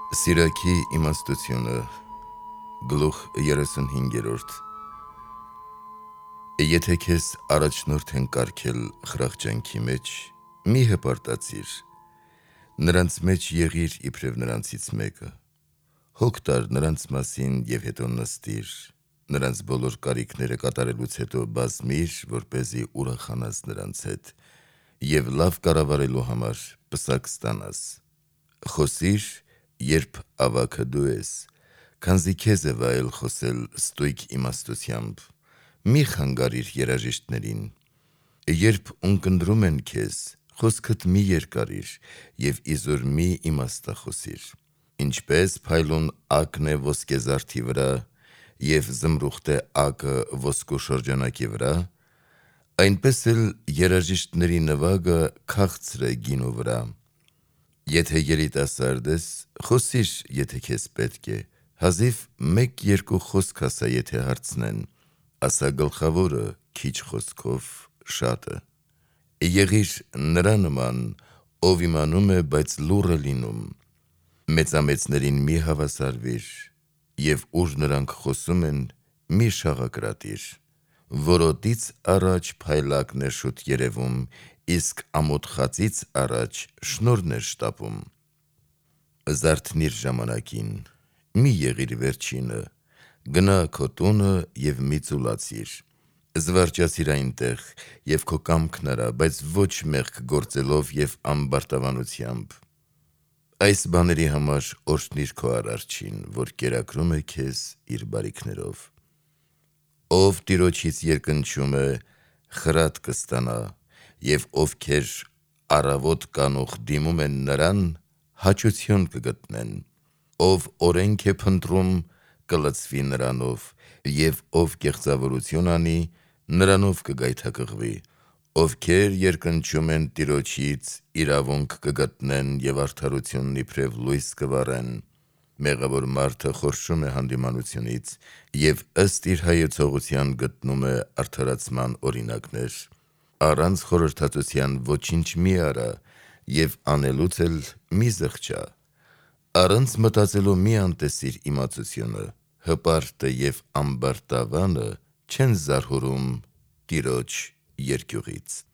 Սիրակի իմաստությունը գլուխ 35 Եթե քեզ առաջնորդ են կարգել խրախճանքի մեջ, մի հպարտացիր, նրանց մեջ եղիր իբրև նրանցից մեկը, հոգ տար նրանց մասին և հետո նստիր, նրանց բոլոր կարիքները կատարելուց հետո բազմիր, որպեսզի ուրախանաս նրանց հետ և լավ կառավարելու համար պսակ ստանաս, խոսիր, երբ ավագը դու ես, քանզի քեզ է վայել խոսել ստույգ իմաստությամբ, մի խանգարիր երաժիշտներին, երբ ունկնդրում են քեզ, խոսքդ մի երկարիր և իզուր մի իմաստախոսիր, ինչպես փայլուն ակն է ոսկեզարդի վրա և զմրուխտ է ակը ոսկու շրջանակի վրա, այնպես էլ երաժիշտների նվագը քաղցր է գինու վրա, եթե երիտասարդ ես, խոսիր, եթե քեզ պետք է, հազիվ մեկ-երկու խոսք ասա, եթե հարցնեն, ասա գլխավորը, քիչ խոսքով շատը, եղիր նրա նման, ով իմանում է, բայց լուռ է լինում, մեծամեծներին մի հավասարվիր և ուր նրանք խոսում են, մի շաղակրատիր, որոտից առաջ փայլակն է շուտ երևում, իսկ ամոթ խածից առաջ շնորհն է շտապում, զարթնիր ժամանակին, մի եղիր վերջինը, գնա քո տունը և մի ծուլացիր, զվարճացիր այնտեղ և քո կամքն արա, բայց ոչ մեղք գործելով և ամբարտավանությամբ, այս բաների համար օրհնիր քո Արարչին, որ կերակրում է քեզ իր բարիքներով, ով Տիրոջից երկնչում է, խրատ կստանա, և ովքեր առավոտ կանուխ դիմում են նրան, հաճություն կգտնեն, ով օրենք է փնտրում, կլցվի նրանով, և ով կեղծավորություն անի, նրանով կգայթակղվի, ովքեր երկնչում են Տիրոջից, իրավունք կգտնեն և արդարությունն իբրև լույս կվառեն, մեղավոր մարդը խորշում է հանդիմանությունից և ըստ իր հայեցողության գտնում է արդարացման օրինակներ, առանց խորհրդածության ոչինչ մի արա և անելուց էլ մի զղջա, առանց մտածելու մի անտեսիր իմացությունը, հպարտը և ամբարտավանը չեն զարհուրում Տիրոջ երկյուղից։